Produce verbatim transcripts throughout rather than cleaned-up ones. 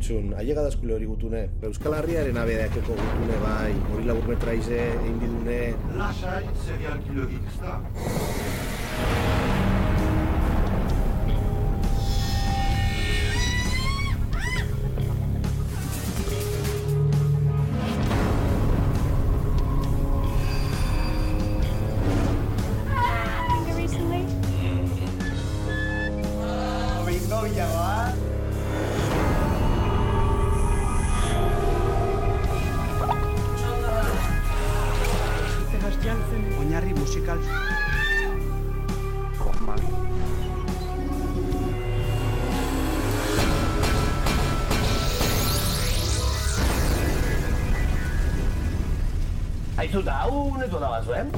entzun, ailega dazkule hori gutune. Euskal Herriaren abedeakeko gutune bai, hori labur metra ize, egin bidune... Lasai, serial kilogik, ez da? Oinarri musikal. Koma. Aizu da, hau netu da bat zuen?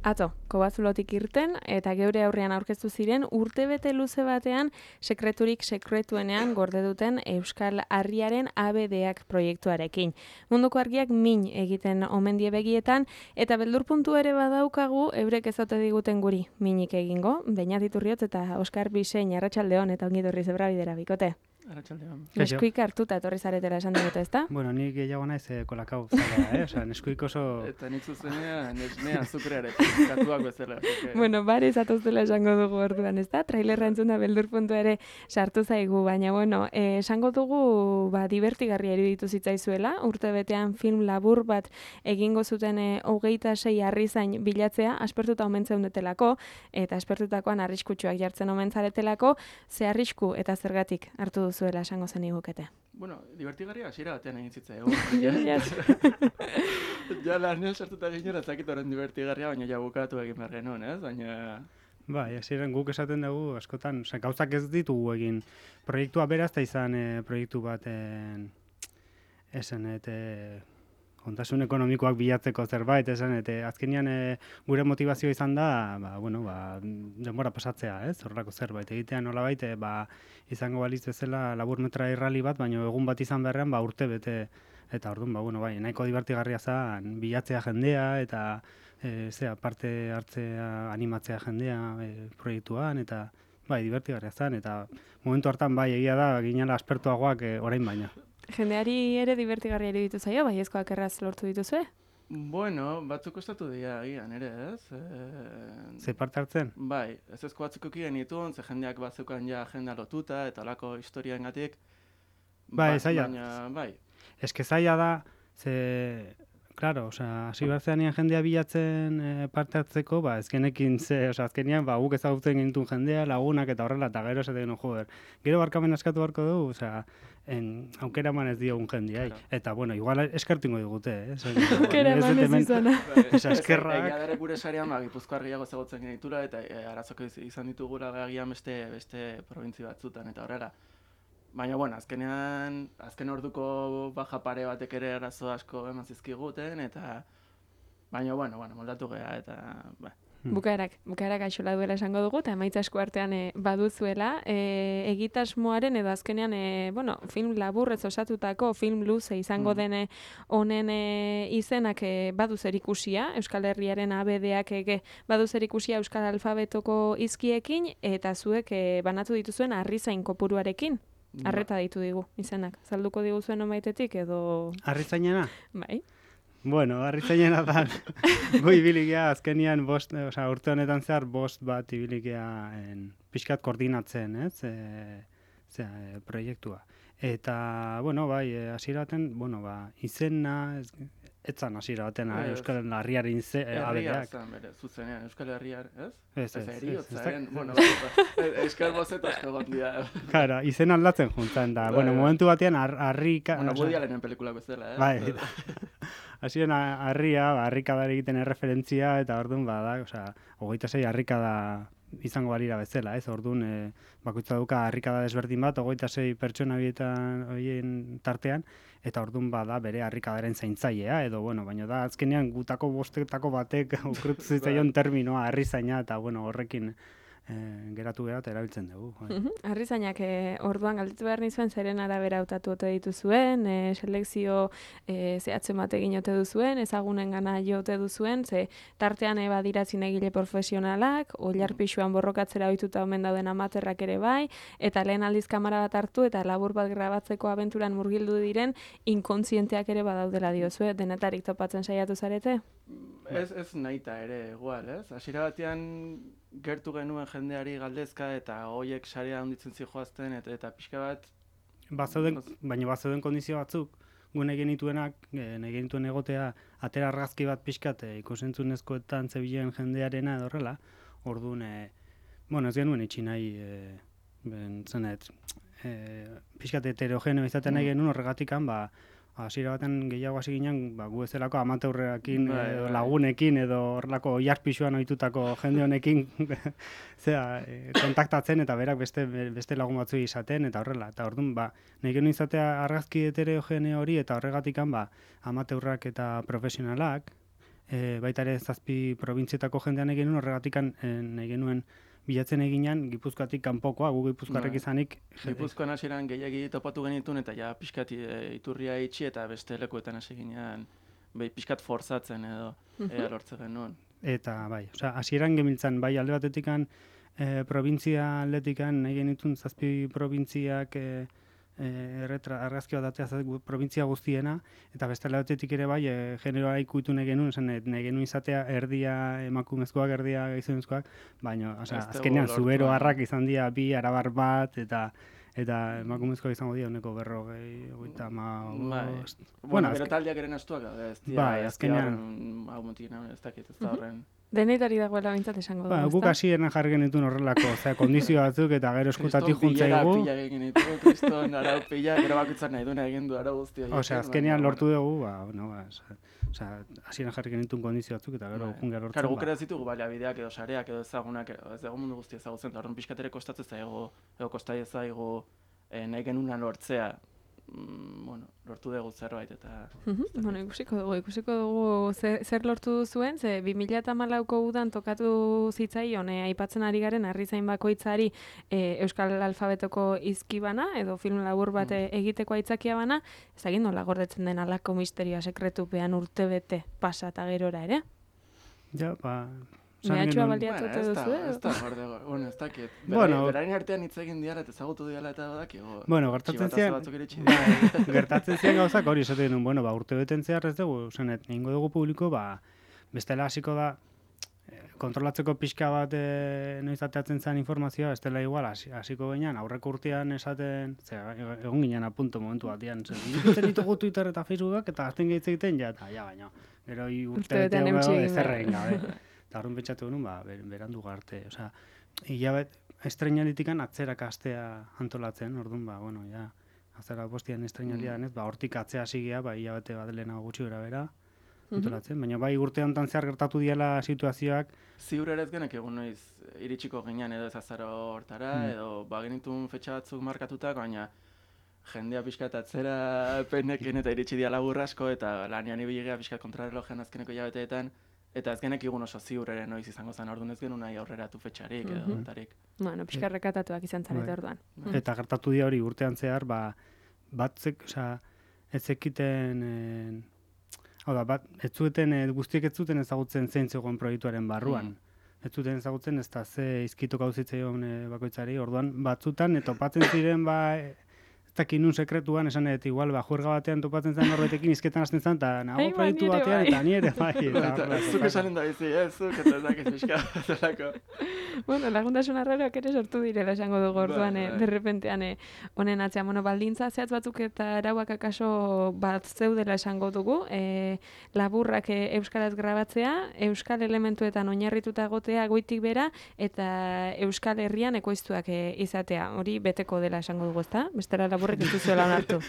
Atzo, Kobazulotik irten eta geure aurrean aurkeztu ziren urtebete luze batean sekreturik sekretuenean gorde duten Euskal Harriaren A B D-ak proiektuarekin. Munduko argiak min egiten omen die begietan eta beldurpuntu ere badaukagu eurek ez ote diguten guri minik egingo. Beñat Iturriotz eta Oskar Bisein, arratsaldeon eta ongi etorri Zebrabidera bikote. Arratsaldeon. Neskuik hartuta etorri zaretela esan digute, ezta? Bueno, ni gehiago naiz eh, kolakau zara, eh? Osea, neskuik oso... Eta nik zuzenean, nesnea azukreare, katuak bezala. Porque... Bueno, bare zatoztela esango dugu orduan, ezta? Trailerra entzuna beldurpuntu ere sartu zaigu, baina bueno, eh, esango dugu ba, divertigarria iruditu zitzaizuela, urte betean film labur bat egingo zuten eh, hogeita sei harrizain bilatzea, aspertuta omen zeundetelako, eta aspertutakoan arriskutsuak jartzen omen zaretelako, ze arrisku eta zergatik hartu duzu zuela esango zen igukete. Bueno, divertigarria hasiera batean egin zitza egon. Ja lanean sartuta ginera ezakit horren divertigarria, baina ja bukatu egin behar genuen, ez? Baina... Bai, hasieran guk esaten dugu askotan, osea, gauzak ez ditugu egin. Proiektua beraz da izan e, proiektu baten esan eta kontasun ekonomikoak bilatzeko zerbait, esan eta azkenean e, gure motivazioa izan da, ba, bueno, ba, denbora pasatzea, ez? Horrelako zerbait egitea nolabait, e, ba, izango balitz bezala labur metra irrali bat, baina egun bat izan beharrean, ba, urte bete, eta orduan, ba, bueno, bai, nahiko divertigarria zen bilatzea jendea, eta e, zea, parte hartzea, animatzea jendea e, proiektuan, eta bai, divertigarria zen, eta momentu hartan, bai, egia da, ginela aspertuagoak e, orain baina. Jendeari ere divertigarria iruditu zaio, bai ezkoak erraz lortu dituzue? Bueno, batzuk kostatu dira agian ere, ez? E... Ze parte hartzen? Bai, ez ezko batzuk egin dituen, ze jendeak batzeukan ja agenda lotuta, eta olako historiaengatik. Bai, ba, zaila. Baina, bai. Ez que zaila da, ze... Claro, osea, hasi bartzean jendea bilatzen e, parte hartzeko, ba, ezkenekin ze, osea, azkenean, ba, guk ezagutzen gintuen jendea, lagunak eta horrela, eta gero esaten genuen, joder, gero barkamen askatu barko dugu, osea, en, aukera eman ez diogun jendeai. Claro. Eta, bueno, igual eskertingo digute, eh? Aukera eman ez izana. Esa eskerrak... Egia dara gure sarean, ba, Gipuzkoar gehiago ezagutzen genitula, eta e, arazoko izan ditugula agian beste, beste probintzi batzutan, eta horrela. Baina, bueno, azkenean, azken orduko baja pare batek ere arazo asko eman zizkiguten, eta... Baina, bueno, bueno, moldatu geha, eta... Ba. Bukaerak, bukaerak aixola duela esango dugu, eta emaitza esku artean e, baduzuela, e, egitasmoaren edo azkenean, e, bueno, film laburrez osatutako, film luze izango mm. dene honen e, izenak e, badu zerikusia, Euskal Herriaren A B D-ak ege badu zerikusia Euskal Alfabetoko izkiekin, eta zuek e, banatu dituzuen harrizain kopuruarekin. Arreta ditu digu, izenak. Zalduko diguzuen omaitetik edo... Harrizainena? Bai. Bueno, harrizainena da, gu ibilikia azkenian bost, osea, urte honetan zehar bost bat ibilikia pixkat koordinatzen, ez? E, zera, e, proiektua. Eta, bueno, bai, hasiera baten, bueno, ba, izena, ez, etzan hasiera baten, Ez, Euskal Herriaren ize, Herria abedeak. zan bere, zuzenean, Euskal Herriar, ez? Ez, ez, Ez, heriotzaren, ez, ez, bueno, Euskal bozet asko gondia. Claro, izen aldatzen juntzen da. Bueno, momentu batean, harrika... Bueno, Woody Allenen pelikulak bezala, eh? Bai, hasien harria, harrikadari egiten erreferentzia, eta orduan, bada, osea, hogeita sei harrikada izango balira bezala, ez? Orduan, e, bakoitza dauka harrikada desberdin bat, hogeita sei pertsona bietan horien tartean, eta orduan bada bere harrikadaren zaintzailea, edo, bueno, baina da, azkenean gutako bostetako batek okrutu zitzaion terminoa, harrizaina, eta, bueno, horrekin e, geratu gara eta erabiltzen dugu. Bai. Arrizainak, e, orduan galdetu behar nizuen, zeren arabera hautatu ote dituzuen, e, selekzio e, zehatzen bat egin ote duzuen, ezagunen gana jote duzuen, ze tartean e, badira zinegile profesionalak, oilarpixuan borrokatzera ohituta omen dauden amaterrak ere bai, eta lehen aldiz kamera bat hartu eta labur bat grabatzeko abenturan murgildu diren inkontzienteak ere badaudela diozue, denetarik topatzen saiatu zarete? Ez, ez nahita ere, igual, ez? Hasiera batean gertu genuen jendeari galdezka eta hoiek sarea handitzen zijoazten eta, eta pixka bat... Bazeuden, baina bazeuden kondizio batzuk, gune genituenak, e, nahi genituen egotea, atera argazki bat pixkat e, ikusentzunezkoetan zebilen jendearena edo horrela, orduan, e, bueno, ez genuen itxi nahi, e, ben, zenet, e, pixkat heterogeneo izaten nahi genuen horregatikan, ba, hasiera baten gehiago hasi ginen, ba, gu ezelako amateurrekin, Bai, edo bai. lagunekin, edo horrelako oiarpixuan ohitutako jende honekin, zera, e, kontaktatzen eta berak beste, beste lagun batzu izaten, eta horrela. Eta orduan, ba, nahi genuen izatea argazki heterogeneo hori, eta horregatikan, ba, amateurrak eta profesionalak, e, baita ere zazpi probintzietako jendean egin nuen, horregatikan e, nahi genuen bilatzen eginan, Gipuzkoatik kanpokoa, gu Gipuzkoarrek Bai. izanik. Gipuzkoan hasieran gehiagi topatu genituen eta ja pixkat e, iturria itxi eta beste lekuetan hasi ginean bai, pixkat forzatzen edo ea lortzen genuen. Eta bai, osea, hasieran gemiltzan, bai alde batetikan e, provintzia aldetikan nahi genitun zazpi probintziak e, e, erretra, argazki bat datea zazpi provintzia guztiena, eta beste alde batetik ere bai, e, generoa ikutu nahi genuen, esan nahi genuen izatea erdia emakumezkoak, erdia gizonezkoak, baina, osea, Ez dugu azkenean lortu, zubero baina. harrak izan dira bi arabar bat, eta eta emakumezkoak izango dira honeko berrogei, hogeita Bai. hamabost. Bueno, azken- gero taldeak eren astuak, daude, ez dira, Bai, ez azkenean- dira, hau mutik nahi, ez dakit, ez da horren. Denetari dagoela bintzat esango Ba, dugu, guk ezta? hasieran jarri genituen horrelako, osea, kondizio batzuk eta gero eskutatik Kriston bilera juntzaigu. pila egin ditu, kriston arau pila, gero bakoitzak nahi duena egin du arau guzti horiekin, Osea, azkenean lortu dugu, ba, no, ba, osea, hasieran jarri genituen kondizio batzuk eta gero Bai. junga lortzen. Claro, guk ba. ere ez ditugu baliabideak edo sareak edo ezagunak, edo ez dugu mundu guztia ezagutzen, eta horren pixkatere kostatzen zaigu, edo kostai zaigu eh, nahi genuna lortzea, mm, bueno, lortu dugu zerbait, eta... Mhm, bueno, ikusiko dugu, ikusiko dugu zer, zer lortu duzuen, ze bi mila hamalauko udan tokatu zitzaion, eh, aipatzen ari garen Arrizain bakoitzari eh, Euskal Alfabetoko izkibana, edo film labur bat eh, egiteko aitzakia bana, ez dakit nola gordetzen den alako misterioa sekretupean urtebete pasa eta gerora ere? Ja, ba, esan Mehatxua genuen- baliatu ote ez da, duzu, eh? ez da, gorde, bueno, ez dakit. Bueno. Berain artean hitz egin diala eta ezagutu diala eta badakigu. Bueno, gertatzen txibatazo zian, batzuk iritsi bai, gertatzen zian gauzak hori esaten genuen, bueno, ba, urte beten zehar ez dugu, zenet, egingo dugu publiko, ba, bestela hasiko da, eh, kontrolatzeko pixka bat e, noiz ateatzen zen informazioa, ez dela igual, hasi- hasiko ginen, aurreko urtean esaten, ze, egon ginen apunto momentu batean, zen, ikusten ditugu Twitter eta Facebookak, eta azten gehitze egiten, ja, eta, ja, baina, gero hi urte Urtebetean bete eutsi hau egin ezer behar. egin gabe. Eta horren pentsatu genuen, ba, ber- berandu garte, osea, hilabet, estrenalitikan atzerak astea antolatzen, orduan, ba, bueno, ja, azara postian estrenalia denez, ba, hortik atzea hasi gea, ba, hilabete bat lehenago gutxi gara bera, antolatzen, baina bai urte honetan zehar gertatu diela situazioak, Ziur ere ez genek egun noiz iritsiko ginean edo ez azaro hortara, Mm. edo bagenitun fetxa batzuk markatutak, baina jendea pixkat atzera penekin eta iritsi dia labur asko, eta lanian ibili gea pixkat kontrarrelojean azkeneko hilabeteetan, eta ez genek egun oso ziur ere noiz izango zen, orduan ez genuen nahi aurreratu fetxarik edo Mhm. tarik. Bueno, pixka rekatatuak izan zarete Bai. orduan. eta gertatu dira hori urtean zehar, ba, batzek, osea, ez zekiten, eh, hau da, bat, ez zuten, eh, guztiek ez zuten ezagutzen zein zegoen proiektuaren barruan. Ez zuten ezagutzen ez da ze izkitok hau zitzaion eh, bakoitzari, orduan batzutan, eh, topatzen ziren, ba, eh, ez dakit nun sekretuan, esan dut, igual, ba, juerga batean topatzen zen norbetekin izketan hasten zen, eta nago Ai, ba, proiektu ni ere batean, bai. eta ni ere bai. eta Eta horrela zuk topatzen. esanen da bizi, ez, zuk, eta ez dakit pixka zelako. Bueno, laguntasun arraroak ere sortu direla esango dugu orduan, Bai, eh, bai. derrepentean eh, honen atzean. Bueno, baldintza zehatz batzuk eta arauak akaso bat zeudela esango dugu. Eh, laburrak eh, euskaraz grabatzea, euskal elementuetan oinarrituta egotea goitik bera, eta euskal herrian ekoiztuak eh, izatea. Hori beteko dela esango dugu, ezta? Bestela laburrek ez duzuela onartu.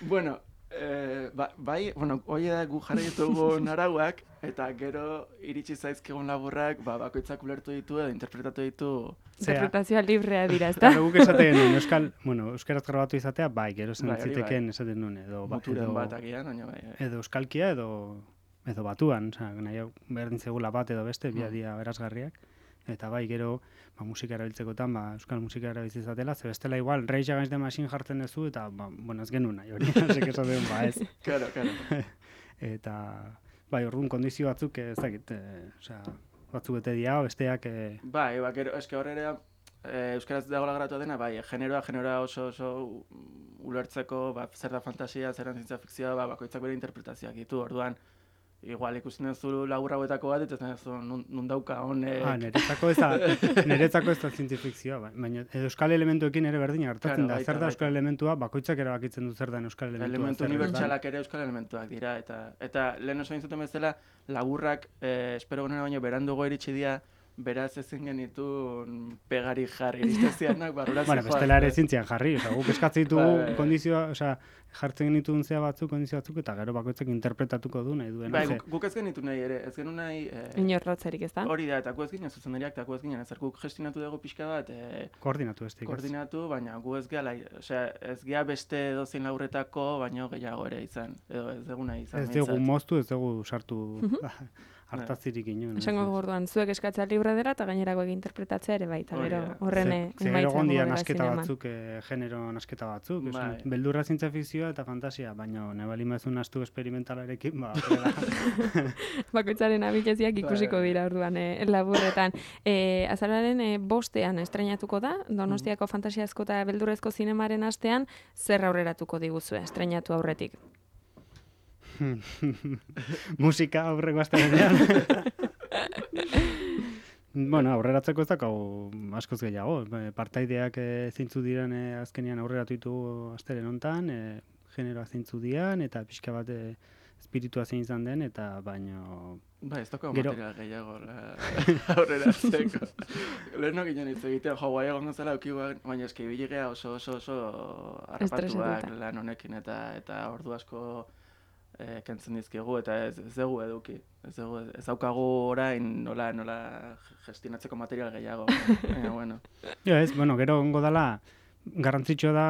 Bueno, eh, ba, bai, bueno, hoi da gu jarri ditugun arauak, eta gero iritsi zaizkigun laburrak, ba, bakoitzak ulertu ditu edo interpretatu ditu. Zea. Interpretazioa librea dira, ezta? Claro, guk esaten genuen, euskal, bueno, euskaraz grabatu izatea, bai, gero zen Bai, hori zitekeen esaten nuen, edo, ba, Muturen edo, bat agian, baina bai. bai. edo euskalkia edo edo batuan, osea, nahi hau berdin zegula bat edo beste, bi Mm. dira berazgarriak. eta bai, gero, ba, musika erabiltzekotan, ba, euskal musika erabiltze izatela, ze bestela igual, Rage Against the Machine jartzen duzu, eta, ba, bueno, ez genuen nahi hori, hasek esaten, ba, ez. Claro, claro. Eta, bai, orduan kondizio batzuk, ez dakit, e, osea, batzuk bete dira, besteak... E... Bai, ba, gero, eske horrela, e, euskaraz dagoela gratu dena, bai, generoa, generoa oso oso ulertzeko, ba, zer da fantasia, zer da zientzia fikzioa, ba, bakoitzak bere interpretazioak ditu, orduan, igual ikusten duzu labur hauetako bat, eta ez nun, nun dauka honek... Ah, niretzako ez da, niretzako ez da zientifizioa, baina euskal elementuekin ere berdin hartatzen Claro, da, baita, zer da baita. euskal elementua, bakoitzak erabakitzen du zer da euskal elementua. Elementu zer ez da. unibertsalak ere euskal elementuak dira, eta eta lehen oso intzuten bezala, laburrak, eh, espero genera baino, berandugo iritsi dira, beraz ezin genitu pegari jarri, iritezianak barrura Bueno, zijoak. bestela ere zintzian jarri, oza, guk eskatzen ditugu Bai, bai. kondizioa, oza, jartzen genituen zea batzuk, kondizio batzuk, eta gero bakoitzak interpretatuko du nahi duen. Bai, ze- guk, guk ez genitu nahi ere, ez genu nahi... Eh, Inorrotzerik, ez da? hori da, eta gu ez ginen zuzendariak, eta gu ez ginen, ezer guk gestionatu dugu pixka bat, eh, Koordinatu ez koordinatu, baina gu ez gehala, osea, ez gea beste edozein laurretako, baino gehiago ere izan, edo ez dugu nahi izan. Ez dugu behintzat. moztu, ez dugu sartu hartazirik inoen. Esango dugu orduan, zuek eskatzea libre dela eta gainerako interpretatzea ere baita, Hori gero da. horren Ze, emaitza ze gero egongo gondia dela nasketa zineman. batzuk, eh, genero nasketa batzuk, esan, Bai. beldurra zientzia fikzioa eta fantasia, baina nebali mazun astu experimentalarekin, ba, horrela. Bakoitzaren abileziak ikusiko Bai. dira orduan e, laburretan. E, azararen e, bostean estrenatuko da, Donostiako fantasiazko eta beldurrezko zinemaren astean, zer aurreratuko diguzue estrenatu aurretik? Musika aurreko astelehenean. Bueno, aurreratzeko ez dakau askoz gehiago. Eh, Partaideak eh, zeintzu diren eh, azkenean aurreratu ditugu astelen hontan, eh, generoa zeintzu dian, eta pixka bat eh, espiritua zein izan den, eta baino... Bai, ez doko Gero- material gehiago la, aurreratzeko. Leheno ginen hitz egiten, jo, guai egon zela aukigu, baina eski biligea oso oso oso harrapatuak Estresatuta. lan honekin, eta eta ordu asko eh, kentzen dizkigu, eta ez, ez dugu eduki. Ez dugu, ez daukagu orain nola, nola gestionatzeko material gehiago. Baina, bueno. Jo, ez, bueno, gero ongo dala, garrantzitsua da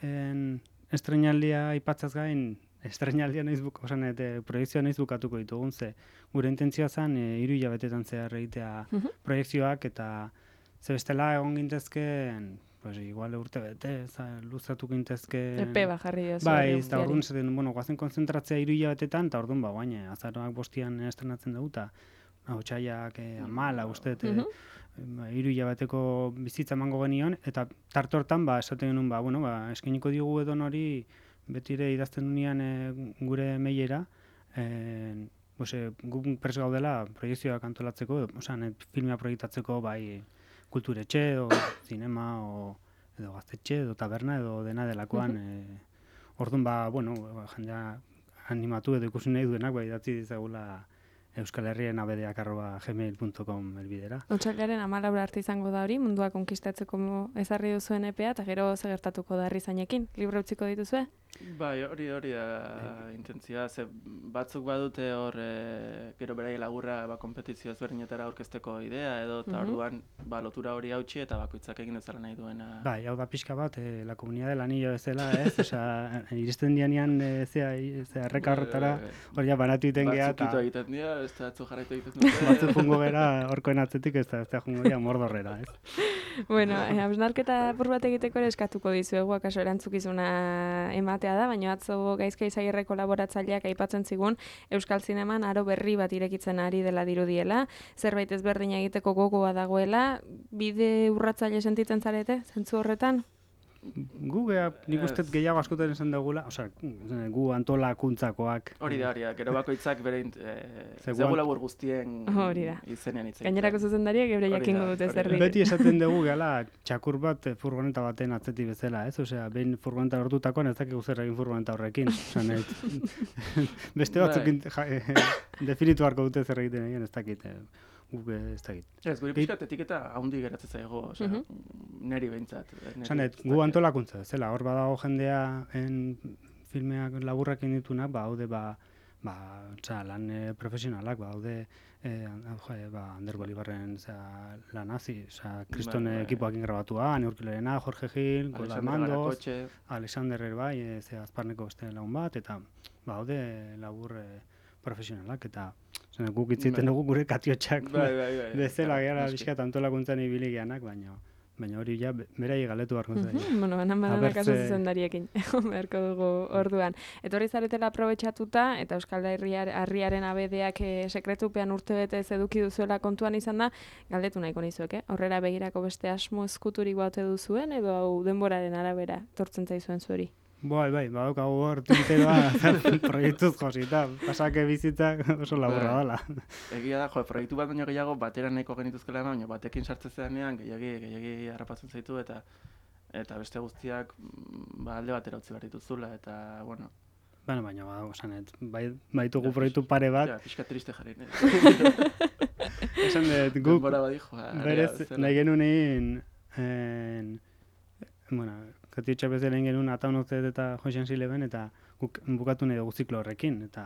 en, estrenaldia aipatzaz gain, estrenaldia nahiz buk, osan, eta proiektzioa nahiz bukatuko ditugun, ze gure intentzioa zen, e, hiru hilabetetan zehar egitea Mhm. proiektzioak, eta ze bestela egon gintezken, pues igual urte bete, za, luzatu gintezken... Epe bat jarri diozu. Bai, hori ez da guztiari. orduan zaten, bueno, guazen konzentratzea hiru hilabetetan, eta orduan ba, guaine, azaroak bostian estrenatzen dugu, eta hotxaiak eh, amala, uste, Mhm. ba, hiru hilabeteko bizitza emango genion, eta tarte hortan, ba, esaten genuen, ba, bueno, ba, eskeniko digu edon hori, betire idazten dunean e, gure mailera, e, pues, e, gu prest gaudela proiektzioak antolatzeko, osan, filmea proiektatzeko, bai, kulturetxe, edo zinema, o, edo gaztetxe, edo taberna, edo dena delakoan, e, orduan, ba, bueno, ba, jendea animatu edo ikusi nahi duenak, ba, idatzi dizagula Euskal Herrien abedeak arroba gmail punto com elbidera. Otsailaren hamalaura arte izango da hori, mundua konkistatzeko ezarri duzuen epea, eta gero zer gertatuko da Arrizainekin. Libro utziko dituzue? Bai, hori hori da intentzioa, ze batzuk badute hor e, gero berai laburra ba, kompetizio ezberdinetara aurkezteko idea, edo eta Mhm. orduan ba, lotura hori hautsi eta bakoitzak egin dezala nahi duena. Bai, hau da pixka bat, eh, la comunidad del anillo bezala, ez? Osea, iristen dianean, eh, zea, zea erreka horretara, hori ja banatu iten geha, Batzuk ito eta egiten dira, ez da atzu jarraitu egiten dute. batzu jungo gera horkoen atzetik, ez da, ez da jungo gera mordorrera, ez? Bueno, eh, hausnarketa apur bat egiteko ere eskatuko dizuegu, akaso erantzukizuna ematea da, baina atzo Gaizka Izagirre kolaboratzaileak aipatzen zigun Euskal Zineman aro berri bat irekitzen ari dela dirudiela, zerbait ezberdina egiteko gogoa dagoela, bide urratzaile sentitzen zarete, zentzu horretan? Gu gea, nik uste Ez. gehiago askotan esan dugula, osea, gu antolakuntzakoak. Hori da, hori da, gero bakoitzak bere int- eh, Ze ez dugu guan- labur guztien Hori da. izenean hitz egiten. Gainerako zuzendariak geure Hori da, jakingo dute hori zer da. diren. Beti esaten dugu gehala txakur bat eh, furgoneta baten atzetik bezala, ez? Osea, behin furgoneta lortutakoan ez dakigu zer egin furgoneta horrekin. Osea, nahi, beste batzuk Bai. int- ja, eh, definitu harko dute zer egiten egin, ez dakit. eh, Guk eh, ez dakit. Ez, guri pixkat etiketa haundi geratzen zaigo, osea, Mhm. neri behintzat. eh, neri Esan, ez gu dakit. antolakuntza, zela, hor badago jendea en filmeak laburrak inditunak, ba, haude, ba, ba, osea, lan eh, profesionalak, ba, haude, eh, an- jo, ba, Ander Bolibarren, osea, lan hazi, osea, kriston Bai, bai. ekipoakin grabatua, Neurkilerena, Jorge Gil, Gola Alexander Mandoz, Barakotxe, Alexander ere bai, e, ze azparneko beste lagun bat, eta, ba, haude labur eh, profesionalak, eta, Zene, guk itziten dugu gure katiotxak Bai, bai, bai. bezala gara Noski. bizkat antolakuntzan ibili geanak, baina baina hori ja be- berai galetu beharko zaio. Mhm, bueno, banan bananak Abertze- kaso zuzendariekin, egon beharko dugu orduan. Etorri zaretela aprobetxatuta, eta Euskal Herriar, Harriaren abedeak e, sekretupean urte betez eduki duzuela kontuan izan da, galdetu nahiko nizuek, eh? Horrela begirako beste asmo eskuturik baute duzuen, edo hau denboraren arabera tortzen zaizuen zueri? Bai, bai, badaukagu hor tinteroa proiektuz josita, pasake bizitzak oso laburra Bai. dela. Egia da, jo, proiektu bat baino gehiago batera nahiko genituzkela eman, baina batekin sartzen zedanean gehiagi, gehiagi harrapatzen zaitu eta eta beste guztiak mm, ba, alde batera utzi behar dituzula, eta, bueno... Baina, baina, badago, esanet, bai, baitugu proiektu pare bat, Ja, pixka triste jarri, ne? esan dut, guk Denbora bat dijo, berez nahi genuen egin, en, bueno, katiotxa bezala egin genuen ataunotze eta joxen zileben, eta guk bukatu nahi dugu ziklo horrekin, eta...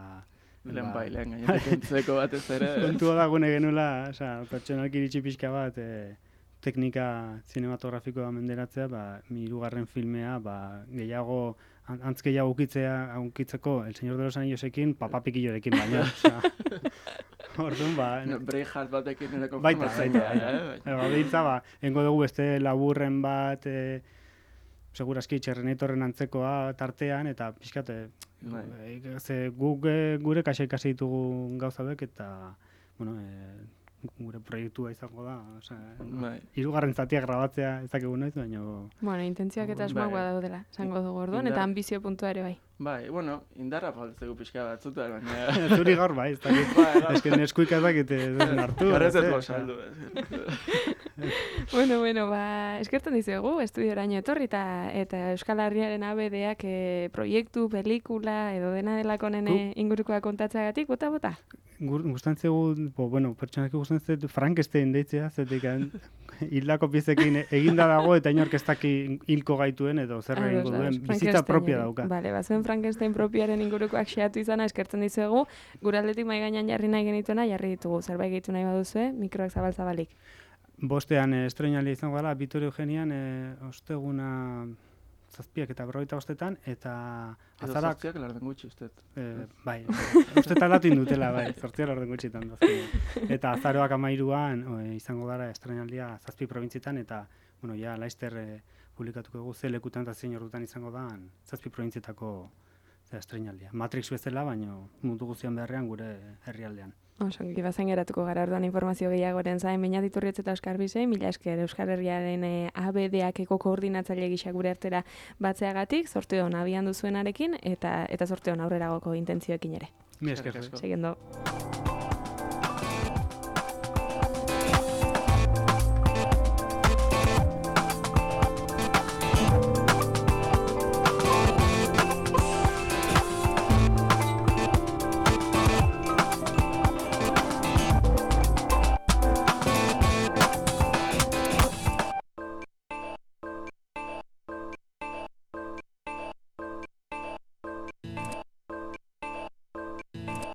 Lehen ba, bai, lehen gainetik entzeko batez ere. kontua da gune genuela, osea, pertsonalki iritsi pixka bat, e, teknika zinematografikoa menderatzea, ba, mi hirugarren filmea, ba, gehiago, an- antz gehiago ukitzea, ukitzeko El Señor de los Anillosekin, papapikillorekin baina, osea. Orduan, ba, No, Braveheart batekin ere baita, konformatzen baita, da, baita. eh? Eba, behitza, ba, engo dugu beste laburren bat, e, seguraski txerrenetorren antzekoa tartean, eta pixkat, e, Bai. e, ze guk e, gure kaxa ikasi ditugu gauza bek, eta, bueno, e, gure proiektua izango da, osea, Bai. hirugarren zatia grabatzea ez dakigu noiz, baina Bueno, intentzioak eta asmoak Bai. badaudela, esango dugu orduan, Indar- eta ambizio puntua ere bai. Bai, bueno, indarra faltzegu pixka batzuta, baina... zuri gaur bai, ez dakit. Bai, bai. Ez que neskuik ez dakit ez den hartu. Garrez ez ez, gau osea. saldu. Bueno, bueno, ba, eskertzen dizuegu, estudioraino etorri eta, eta Euskal Herriaren abedeak e, proiektu, pelikula, edo dena delako nene ingurukoa kontatzeagatik, bota-bota? Gur- Gustatzen zaigu, bo, bueno, pertsonaki gustatzen zaitu Frankenstein deitzea, zetik hildako piezekin eginda dago eta inork ez daki hilko gaituen edo zer Ados, egingo ados, duen, bizitza Frankenstein propia hori. dauka. Bale, bazuen Frankenstein propioaren ingurukoak xeatu izana eskertzen dizuegu, gure aldetik mai gainean jarri nahi genituena, jarri ditugu, zerbait gehitu nahi baduzue, mikroak zabal-zabalik. Bostean eh, estreinalia izango dela, Vitorio Eugenian, eh, osteguna zazpiak eta berrogeita bostetan, eta Edo azarak, zortziak larden gutxi, uste. eh, bai, uste talatu indutela, bai, zortzia lorden gutxitan dazkenean. Eta azaroak amairuan eh, izango gara estreinalia zazpi probintzietan, eta, bueno, ja, laizter eh, publikatuko dugu ze lekutan eta zein ordutan izango da zazpi probintzietako zera, estreinalia. Matrix bezala, baino mundu guztian beharrean gure herrialdean. Oso, bazen geratuko gara orduan informazio gehiagoren zain, baina diturrietz eta Euskar Bizei, mila esker Euskal Herriaren e, abedeakeko koordinatzaile gisa gure artera batzeagatik, zorte hon abian duzuenarekin, eta eta zorte hon aurreragoko intentzioekin ere. Mi esker. Eskerrik asko. Seguindo.